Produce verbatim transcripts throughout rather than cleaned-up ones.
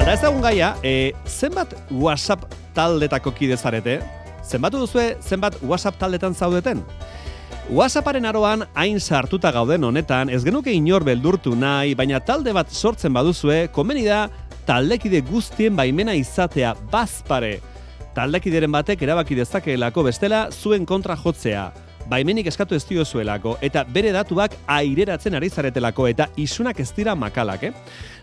Alda ezagun gaia, e, zenbat WhatsApp taldetako kide zarete? Zenbatu duzue zenbat WhatsApp taldetan zaudeten? WhatsApparen aroan hain sartuta gauden honetan, ez genuke inor beldurtu nahi, baina talde bat sortzen baduzue, komeni da taldekide guztien baimena izatea bazpare. Taldekideren batek erabaki dezakeelako bestela zuen kontra jotzea. Baimenik eskatu ez diozuelako eta bere datuak aireratzen ari zaretelako eta isunak ez dira makalak, eh?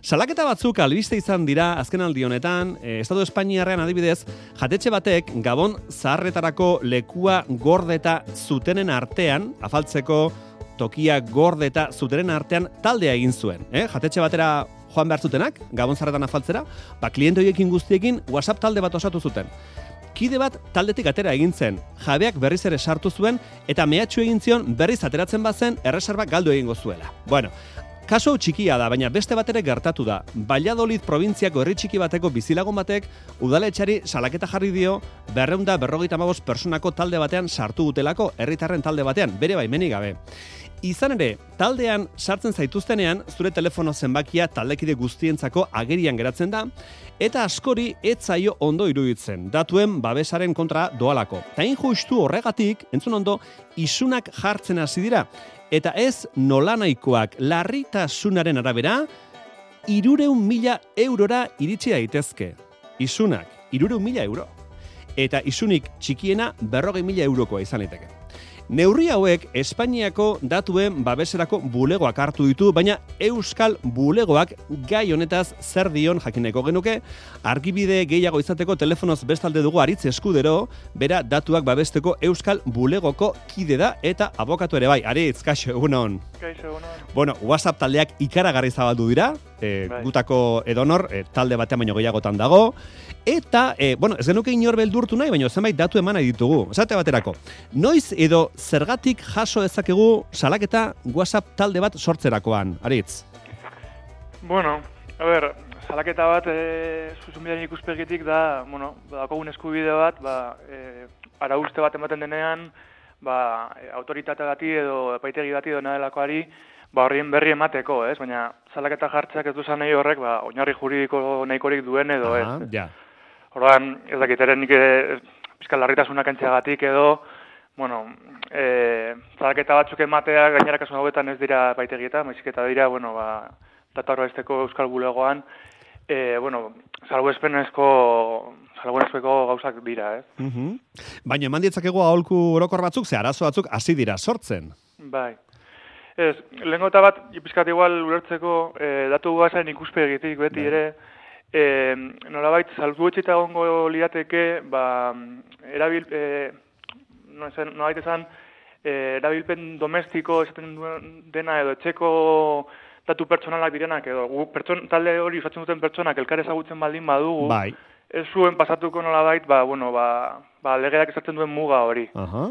Salaketa batzuk albiste izan dira azkenaldi honetan, eh, Estatu Espainiarrean adibidez, jatetxe batek Gabon zaharretarako lekua gordeta zutenen artean, afaltzeko tokia gordeta zutenen artean taldea egin zuen, eh? Jatetxe batera joan behar zutenak, Gabon zaharretan afaltzera, ba kliente horiekin guztiekin WhatsApp talde bat osatu zuten. Kide bat taldetik atera egin zen, jabeak berriz ere sartu zuen eta mehatxu egin zion berriz ateratzen bazen erreserba galdu egingo zuela. Bueno, kaso txikia da, baina beste bat ere gertatu da. Valladolid probintziako herri txiki bateko bizilagun batek udaletxari salaketa jarri dio berrehun eta berrogeita hamabost pertsonako talde batean sartu dutelako, herritarren talde batean, bere baimenik gabe. Izan ere, taldean sartzen zaituztenean, zure telefono zenbakia taldekide guztientzako agerian geratzen da, eta askori ez zaio ondo iruditzen, datuen babesaren kontra doalako. Ta injustu horregatik, entzun ondo, isunak jartzen hasi dira, eta ez nolanahikoak larritasunaren arabera, hirurehun mila eurora iritsi daitezke. Isunak, hirurehun mila euro. Eta isunik txikiena berrogei mila eurokoa izan liteke. Neurri hauek Espainiako datuen babeserako bulegoak hartu ditu, baina Euskal bulegoak gai honetaz zer dion jakineko genuke, argibide gehiago izateko telefonoz bestalde dugu Aritz Eskudero, bera datuak babesteko Euskal bulegoko kide da eta abokatu ere bai. Aritz, kaixo, egunon. Kaixo, egunon. Bueno, WhatsApp taldeak ikaragarri zabaldu dira, e, bai. Gutako edonor, e, talde batean baino gehiagotan dago, eta, e, bueno, ez genuke inor beldurtu nahi, baina zenbait datu eman nahi ditugu. Esate baterako, noiz edo zergatik jaso dezakegu salaketa WhatsApp talde bat sortzerakoan, Aritz? Bueno, a ber, salaketa bat e, zuzumilaren ikuspegitik da, bueno, dakogun eskubide bat, ba, e, arauste bat ematen denean, ba, autoritate bati edo epaitegi bati edo nadelakoari, ba, horrien berri emateko, ez? Baina salaketa jartzeak ez duzan nahi horrek, ba, oinarri juridiko nahikorik duen edo, Aha, ez? Ja. Orduan, ez dakit, eren nik pizkal larritasunak entxeagatik edo, bueno, e, salaketa batzuk ematea gainera kasu hauetan ez dira epaitegietan, baizik eta dira, bueno, ba, datu arbaizteko Euskal bulegoan, e, bueno, salbuespenezko salbuespenezko gauzak dira, ez? Uh-huh. Baina eman ditzakegu aholku orokor batzuk, ze arazo batzuk hasi dira sortzen. Bai. Ez, lehenko eta bat, pizkat igual ulertzeko, e, datu guazaren ikuspegitik beti ere, e, nolabait, salbuetxeta gongo lirateke, ba, erabil, e, nolabait esan, e, erabilpen domestiko esaten dena edo etxeko datu pertsonalak direnak edo gu, pertson, talde hori usatzen duten pertsonak elkar ezagutzen baldin badugu, bai. Ez zuen pasatuko nolabait, ba, bueno, ba, ba, legeak esaten duen muga hori. Aha.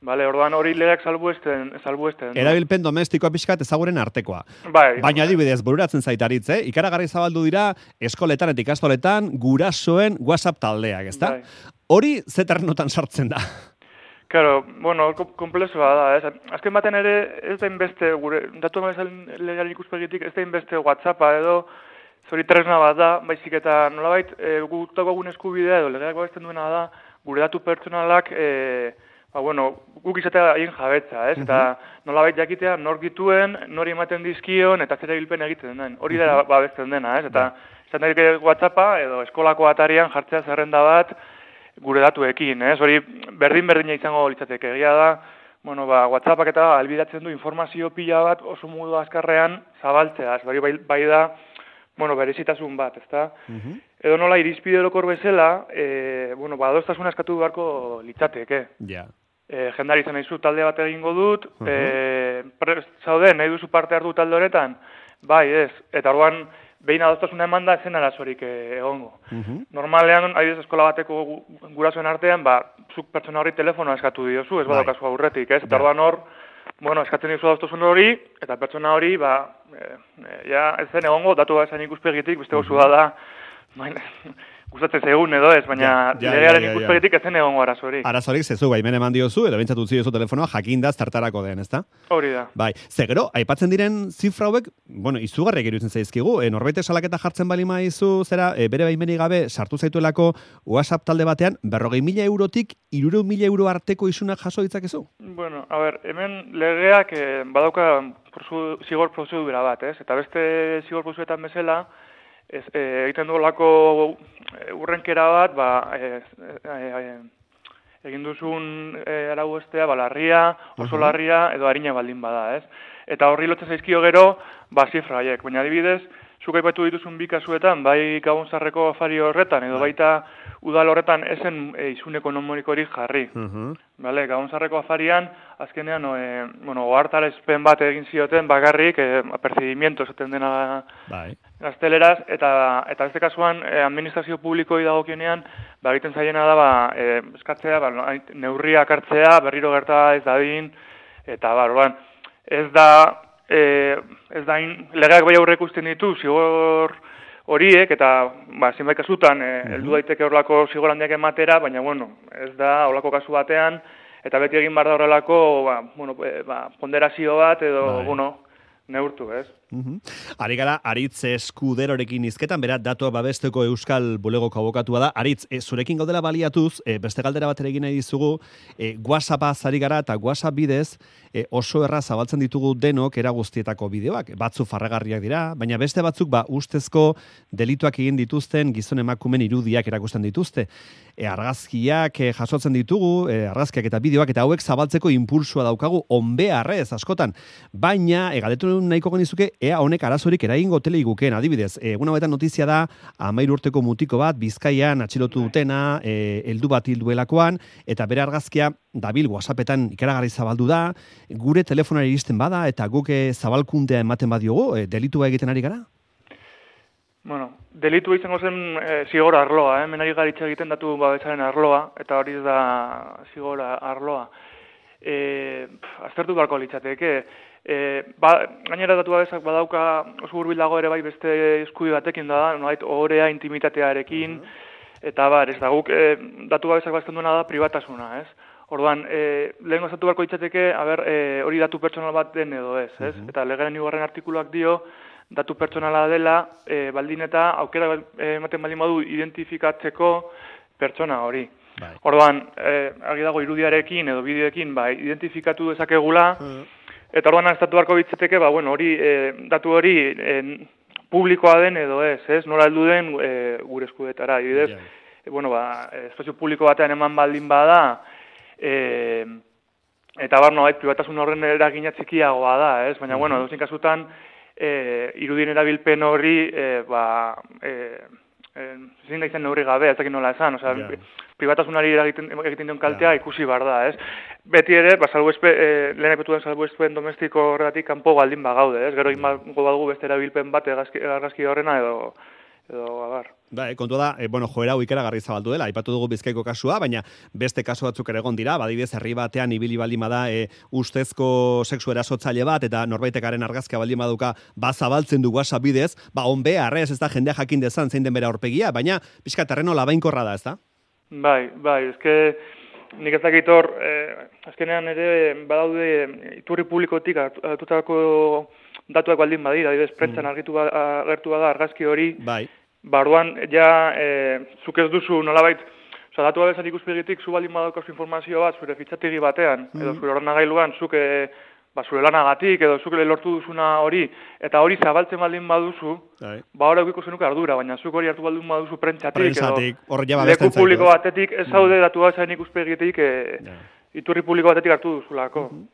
Vale, orduan hori legeak salbuesten, salbuesten. No? Erabilpen domestikoa pixkat ezaguren artekoa. Bai. Baina adibidez, bururatzen zaitaritz, eh? Ikaragarri zabaldu dira eskoletan eta ikastoletan gurasoen WhatsApp taldeak, ezta? Bai. Hori zeternotan sartzen da. Claro, bueno, komplexua da, ez? Azken baten ere, ez da inbeste, gure, datu amazan legearen ikuspegitik, ez da inbeste WhatsAppa edo, zori tresna bat da, baizik eta nolabait, e, gutako egun eskubidea edo legeak babesten duena da, gure datu pertsonalak, e, ba, bueno, guk izatea haien jabetza, ez? Uh -huh. Eta nolabait jakitea nor dituen, nori ematen dizkion, eta zer erabilpen egiten den. Hori da babesten dena, ez? Eta izan daik WhatsAppa edo eskolako atarian jartzea zerrenda bat gure datuekin, ez? Hori berdin-berdina izango litzateke. Egia da, bueno, ba, WhatsAppak eta albidatzen du informazio pila bat oso modu azkarrean zabaltzea. Hori bai, bai da, bueno, berezitasun bat, ezta? Uh-huh. Edo nola irizpide orokor bezala, e, bueno, ba, adostasuna eskatu beharko litzateke. Ja. Yeah. E, jendari izan nahi zu talde bat egingo dut, uh-huh. e, prest zaude, nahi duzu parte hartu talde honetan? Bai, ez. Eta orduan, behin adostasuna eman da, zen arazorik egongo. Uh-huh. Normalean, adibidez eskola bateko gurasoen artean, ba, zuk pertsona horri telefonoa eskatu diozu, ez badaukazu aurretik, ez? Eta orduan hor, bueno, eskatzen dizu adostasun hori, eta pertsona hori, ba, e, e, ja, ez zen egongo, datu bat esan ikuspegitik, beste gozu da, gustatzen zaigun edo ez, baina ja, ja, legearen ja, ja, ikuspegitik ez zen egongo arazorik. Arazorik zezu, baimen eman diozu, edo bintzatu ziozu telefonoa, jakindaz tartarako den, ezta? Hori da. Bai, ze gero, aipatzen diren zifra hauek, bueno, izugarriak iruditzen zaizkigu, e, norbait salaketa jartzen bali maizu, zera, e, bere baimenik gabe sartu zaituelako WhatsApp talde batean, berrogei mila eurotik hirurehun mila euro arteko isunak jaso ditzakezu? Bueno, a ber, hemen legeak eh, badauka prozu, zigor prozedura bat, ez? Eta beste zigor prozeduretan bezala, ez, e, egiten duelako urrenkera bat, ba, e, e, e, egin duzun e, arau estea, ba, larria, oso uh-huh. larria, edo harina baldin bada, ez? Eta horri lotzen zaizkio gero, ba, zifra haiek. Baina adibidez, zuk aipatu dituzun bi kasuetan, bai Gabonzarreko afari horretan, edo baita udal horretan esen e, isun ekonomikorik jarri. Uh-huh. Vale, Gabonzarreko afarian, azkenean, e, bueno, ohartarazpen bat egin zioten bakarrik, e, apercibimiento esaten dena bai. Gazteleraz, eta eta beste kasuan, e, administrazio publikoi dagokionean, ba, egiten zaiena da, ba, e, eskatzea, ba, neurriak hartzea, berriro gerta ez dadin, eta, ba, orduan, ez da, e, ez da, in, legeak bai aurre ikusten ditu, zigor horiek, eta, ba, zinbait kasutan, e, uh-huh. heldu daiteke horrelako zigor handiak ematera, baina, bueno, ez da, horrelako kasu batean, eta beti egin behar da horrelako, ba, bueno, e, ba, ponderazio bat, edo, bai. bueno, neurtu, ez? Uhum. Ari gara, Aritz Eskuderorekin izketan, berat datua babesteko Euskal Bulegoko abokatua da. Aritz, e, zurekin gaudela baliatuz, e, beste galdera bat ere egin nahi dizugu, e, WhatsAppa zari gara eta WhatsApp bidez e, oso erraz zabaltzen ditugu denok era guztietako bideoak. Batzu farragarriak dira, baina beste batzuk ba ustezko delituak egin dituzten gizon emakumen irudiak erakusten dituzte. E, argazkiak e, jasotzen ditugu, e, argazkiak eta bideoak, eta hauek zabaltzeko impulsua daukagu onbeharrez askotan. Baina, e, galdetu nahiko genizuke, ea honek arazorik eragingo tele igukeen, adibidez. Egun hauetan notizia da, amairu urteko mutiko bat, Bizkaian atxilotu dutena, e, heldu bat hilduelakoan, eta bere argazkia dabil WhatsAppetan ikaragarri zabaldu da, gure telefonari iristen bada, eta guk zabalkundea ematen badiogu, e, delitua egiten ari gara? Bueno, delitua izango zen e, zigor arloa, eh? Menari garitza egiten datu babesaren arloa, eta hori da zigor arloa. E, aztertu beharko litzateke, e, ba, gainera datu babesak badauka oso hurbil dago ere bai beste eskubi batekin da, nolait ohorea intimitatearekin, uh-huh. eta bar, ez da guk e, datu babesak bazten duena da pribatasuna, ez? Orduan, e, lehen gozatu beharko litzateke, aber, e, hori datu pertsonal bat den edo ez, ez? Uh-huh. Eta legaren hirugarren artikuluak dio, datu pertsonala dela, e, baldin eta aukera ematen baldin badu identifikatzeko pertsona hori. Bai. Orduan, eh, argi dago irudiarekin edo bideoekin ba, identifikatu dezakegula, uh-huh. eta orduan estatu beharko bitzeteke, ba, bueno, hori, eh, datu hori eh, publikoa den edo ez, ez? Nola heldu den eh, gure eskudetara, adibidez, yeah. eh, bueno, ba, espazio publiko batean eman baldin bada, eh, eta bar, nolait, pribatasun horren eragina txikiagoa da, ez? Baina, uh-huh. bueno, dozin kasutan, eh, irudien erabilpen hori, eh, ba, eh, eh, zin da izan neurri gabe, ez dakit nola esan, osea, yeah. pribatasunari egiten, egiten dion kaltea yeah. ikusi bar da, ez? Beti ere, ba, salbuespe, eh, lehen epetu den salbuespen domestiko horretik kanpo baldin bagaude, ez? Gero yeah. ingo badugu beste erabilpen bat argazki horrena edo, edo abar. Ba, kontua da, e, bueno, joera hau ikaragarri zabaldu dela, aipatu dugu Bizkaiko kasua, baina beste kasu batzuk ere egon dira, badibidez herri batean ibili baldin bada e, ustezko sexu erasotzaile bat, eta norbaitekaren argazkia baldin baduka bazabaltzen du WhatsApp bidez, ba, onbe, arrez, ez da jendea jakin dezan zein den bere aurpegia, baina pixka terreno labainkorra da, ez da? Bai, bai, ezke nik ez dakit hor, eh, azkenean ere badaude iturri publikotik hartutako datuak baldin badira, adibidez, prentsan mm. argitu ba, agertu bada argazki hori, bai. Barruan, ja, e, zuk ez duzu nolabait, oza, datu abezan ikuspegitik, zu baldin badaukazu informazio bat, zure fitxategi batean, mm. edo zure ordenagailuan, zuk e, ba, zure lanagatik, edo zuk lortu duzuna hori, eta hori zabaltzen baldin baduzu, Ai. ba, hori eukiko zenuke ardura, baina zuk hori hartu baldin baduzu prentsatik, edo leku publiko batetik, ez zaude mm. datu abezan ikuspegitik, e, yeah. iturri publiko batetik hartu duzulako. Mm-hmm.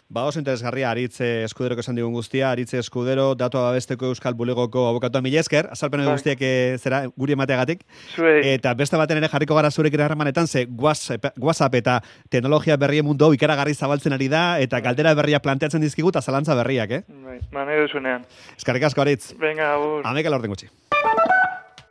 Ba, oso interesgarria, Aritz Eskuderoko esan digun guztia, Aritz Eskudero, datua babesteko Euskal Bulegoko abokatua, mila esker, azalpen bai. Guztiak e, zera guri emateagatik. Zuei. Eta beste baten ere jarriko gara zurekin harremanetan, ze WhatsApp, WhatsApp eta teknologia berrien mundu ikaragarri zabaltzen ari da, eta galdera berriak planteatzen dizkigu, eta zalantza berriak, eh? Bai, ba, nahi duzunean. Eskarrik asko, Aritz. Venga, abur. Ameka laurten gutxi.